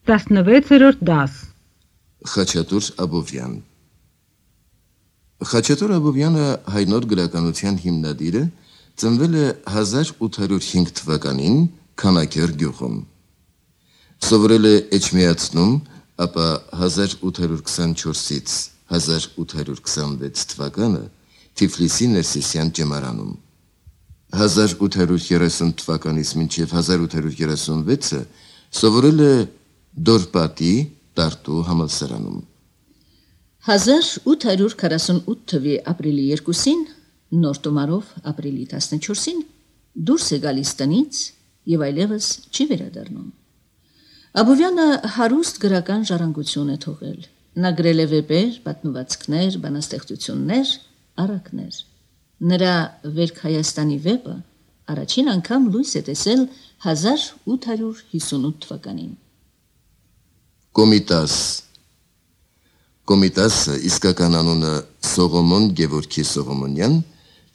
16-րդ դաս Խաչատուր Աբովյան Խաչատուր Աբովյանը հայնոր գրականության հիմնադիրը ծնվել է 1805 թվականին Քանաքեր գյուղում։ Սովորել է Էջմիածնում, ապա 1824-ից 1826 թվականը Թիֆլիսի Ներսիսյան ջեմարանում։ 1830 թվականից մինչև 1836-ը սովորել է Դորպատի Տարտու համալսարանում։ 1848 թվականի ապրիլի 2-ին, նոր տոմարով ապրիլի 14-ին դուրս է գալիս տնից եւ այլևս չի վերադառնում։ Աբովյանը հարուստ գրական ժառանգություն է թողել։ Նա գրել է վեպեր, պատմվածքներ, բանաստեղծություններ, առակներ։ Նրա Վերք Հայաստանի վեպը առաջին անգամ լույս է տեսել 1858 թվականին։ Կոմիտասը, իսկական անունը Սողոմոն Գևորգի Սողոմոնյան,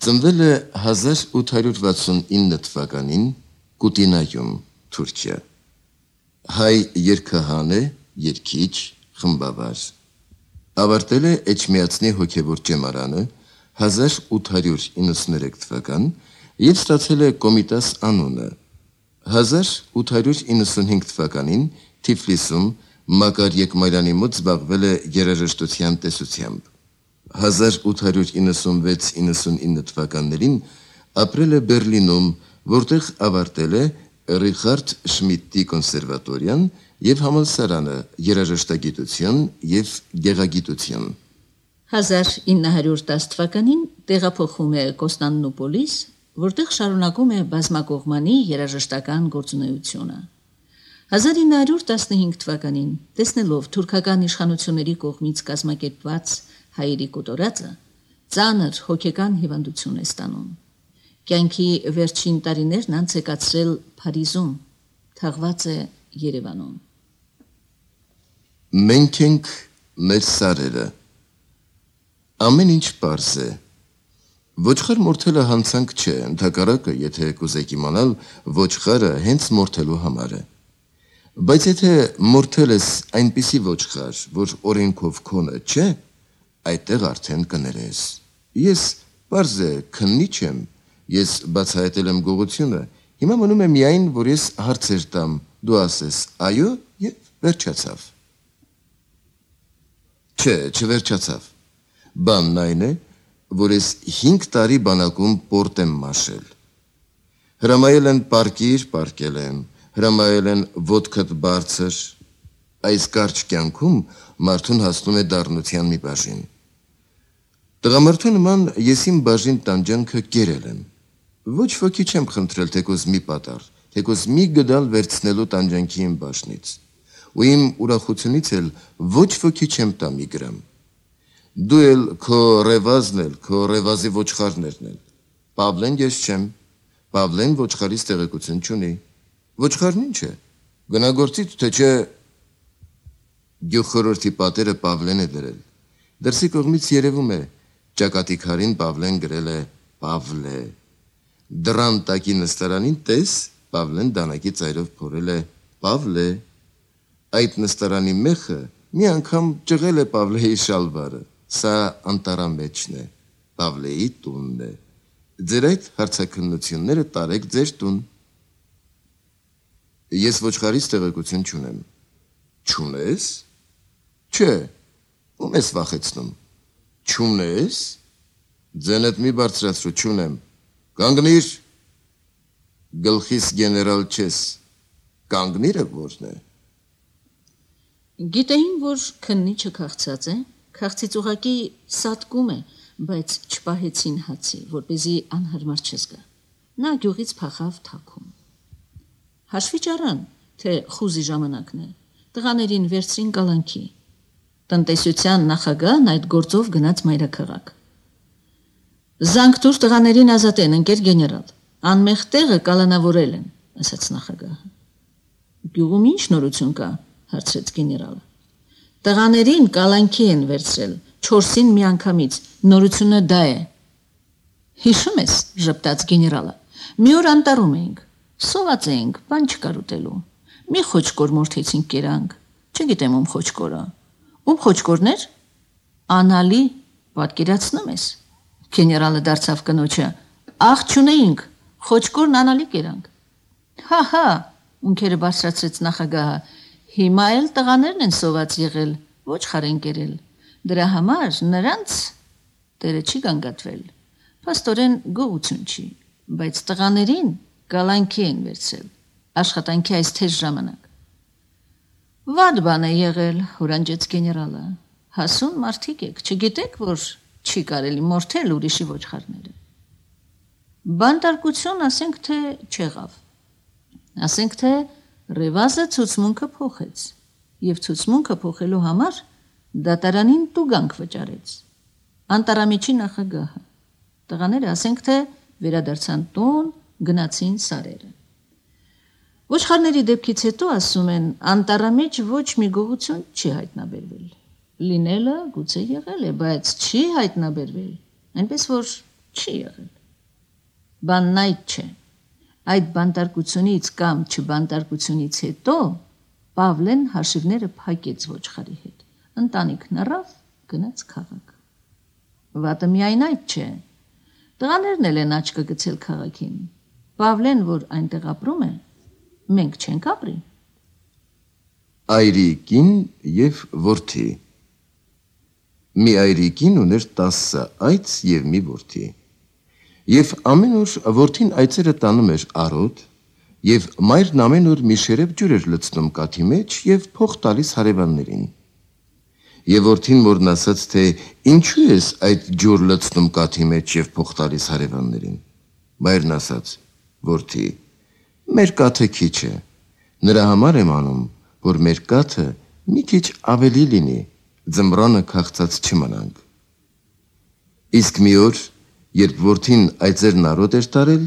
ծնվել է 1869 թվականին Կուտինայում, Թուրքիա։ Հայ երգահան է, երգիչ, խմբավար։ Ավարտել է Էջմիածնի հոգևոր ջեմարանը 1893 թվական եւ ստացել է Կոմիտաս անունը։ 1895 թվականին Թիֆլիսում Մակար Եկմարյանի մոտ զբաղվել է երաժշտության տեսությամբ։ 1896-99 թվականներին ապրել է Բերլինում, որտեղ ավարտել է Ռիխարդ Շմիդտի կոնսերվատորիան եւ համալսարանը երաժշտագիտություն եւ գեղագիտություն։ 1910 թվականին տեղափոխվում է Կոստանդնուպոլիս, որտեղ շարունակում է բազմակողմանի երաժշտական գործունեությունը։ 1915 թվականին, տեսնելով թուրքական իշխանությունների կողմից կազմակերպված հայերի կոտորածը, ծանր հոգեկան հիվանդություն է ստանում։ Կյանքի վերջին տարիներն անց է կացրել Փարիզում, թաղված է Երևանում։ Մենք ենք մեր սարերը։ Ամեն ինչ պարզ է։ Ոչխար մորթելը հանցանք չէ, ընդհակառակը, եթե կուզեք իմանալ, ոչխարը հենց մորթելու համար է։ Բայց եթե մորթել ես այնպիսի ոչխար, որ օրենքով քոնը չէ, այդտեղ արդեն կներես։ Ես պարզ է քննիչ եմ, ես բացահայտել եմ գողությունը, հիմա մնում է միայն, որ ես հարցեր տամ, դու ասես այո եւ վերջացավ։ Չէ, չվերջացավ։ Բանն այն է, որ ես 5 տարի բանակում պորտ եմ մաշել։ Հրամայել են պարկիր, պարկել եմ, հրամայել են ոտքդ բարձր, այս կարճ կյանքում մարդուն հասնում է դառնության մի բաժին։ Տղամարդու նման ես իմ բաժին տանջանքը կերել եմ։ Ոչ ոքի չեմ խնդրել թեկոս մի պատառ, թեկոս մի գդալ վերցնելու տանջանքի իմ բաժնից։ Ու իմ ուրախությունից էլ ոչ ոքի չեմ տա մի գրամ։ Դու էլ քո ռևազն էլ, քո ռևազի ոչխարներն էլ։ Պավլեն ես չեմ, Պավլեն ոչխարից տեղեկություն չունի։ Ոչխարն ինչ է, գնագործից թե չէ գյուղխորհրդի պատերը Պավլեն է դրել։ Դրսի կողմից երևում է, ճակատի քարին Պավլեն գրել է Պավլե։ Դրան տակի նստարանին տես, Պավլեն դանակի ծայրով փորել է Պավլե։ Այդ նստարանի մեխը մի անգամ ճղել է Պավլեի շալվարը, սա անտարամեջն է, Պավլեի տունն է։ Ձեր այդ հարցաքննությունները տարեք ձեր տուն։ Ես ոչխարից տեղեկություն չունեմ։ Չունես։ Չէ, ում ես վախեցնում։ Չունես։ Ձենդ մի բարձրացրու, չունեմ։ Կանգնիր։ Գլխիս գեներալ չես։ Կանգնիրը որն է։ Գիտեին, որ քննիչը քաղցած է, քաղցից ուղակի սատկում է, բայց չպահեցին հացի, որպեսզի անհարմար չզգա։ Նա գյուղից փախավ թաքում։ Հաշվի ճարան, թե խուզի ժամանակն է, տղաներին վերցրին կալանքի։ Տնտեսության նախագահն այդ գործով գնաց մայրաքաղաք։ Զանգ տուր տղաներին ազատեն, ընկեր գեներալ, անմեղ տեղը կալանավորել են, ասաց նախագահը։ Գյուղում ինչ նորություն կա, հարցրեց գեներալը։ Տղաներին կալանքի են վերցրել, 4-ին մի անգամից, նորությունը դա է։ Հիշում ես, ժպտաց գեներալը, մի օր անտառում էինք, սոված էինք, բան չկար ուտելու։ Մի խոճկոր մորթեցինք կերանք, Չգիտեմ ում խոչկորը։ Ում խոչկորներ։ Անալի, պատկերացնում ես։ Գեներալը դարձավ կնոջը։ Աղ չունեինք, խոչկորն անալի կերանք։ Հա, ունքերը բարձրացրեց նախագահը։ Հիմա էլ տղաներն են սոված եղել, ոչ խարեն կերել։ Դրա համար նրանց տերը չի գանգատվել։ Փաստորեն գողություն չի, բայց տղաներին գալանքի են վերցրել։ Աշխատանքի այս թեժ ժամանակ։ Վատ բան է եղել, հորանջեց գեներալը։ Հասուն մարդիկ եք, չգիտեք, որ չի կարելի մորթել ուրիշի ոչխարները։ Բանտարկություն ասենք թե չեղավ։ Ասենք թե Ռևազը ցուցմունքը փոխեց եւ ցուցմունքը փոխելու համար դատարանին տուգանք վճարեց։ Անտարամիջի նախագահը։ Տղաները ասենք թե վերադարձան տուն, գնացին սարերը։ Ոչխարների դեպքից հետո ասում են անտարամիջ ոչ մի գողություն չի հայտնաբերվել։ Լինելը գուցե եղել է, բայց չի հայտնաբերվել, այնպես որ չի եղել։ Բանն այդ չէ։ Այդ բանտարկությունից կամ չբանտարկությունից հետո Պավլեն հաշիվները փակեց ոչխարի հետ։ Ընտանիքն առավ, գնաց քաղաք։ Վատը միայն այդ չէ։ Տղաներն էլ են աչքը գցել քաղաքին։ Պավլեն, որ այնտեղ ապրում է, մենք չենք ապրի։ Այրիկին եւ որդի։ Մի այրիկին ուներ 10 այծ եւ մի որդի։ Եվ ամեն օր որդին այծերը տանում էր արոտ, եւ մայրն ամեն օր մի շերեփ ջուր էր լցնում կաթի մեջ եւ փող տալիս հարևաններին։ Եվ որդին մորն ասաց, թե ինչու ես այդ ջուր լցնում կաթի մեջ եւ փող տալիս հարևաններին։ Մայրն ասաց. որդի, մեր կաթը քիչ է, նրա համար եմ անում, որ մեր կաթը մի քիչ ավելի լինի, ձմռանը քաղցած չմնանք։ Իսկ մի օր, երբ որդին այծերն արոտ էր տարել,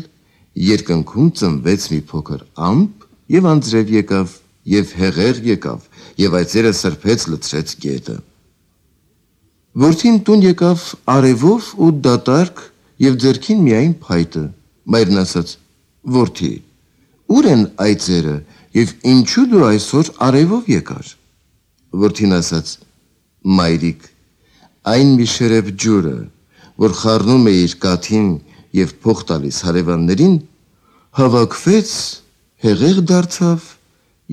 երկնքում ծնվեց մի փոքր ամպ եւ անձրև եկավ եւ հեղեղ եկավ եւ այծերը սրբեց լցրեց գետը։ Որդին տուն եկավ արևով ու դատարկ եւ ձեռքին միայն փայտը։ Մայրն ասաց. որդի, ուր են այծերը եւ ինչու դու այսօր արևով եկար։ Որդին ասաց. մայրիկ, այն մի շերեփ ջուրը, որ խառնում է իր կաթին եւ փող տալիս հարևաններին, հավաքվեց, հեղեղ դարձավ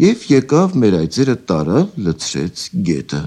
եւ եկավ մեր այծերը տարավ լցրեց գետը։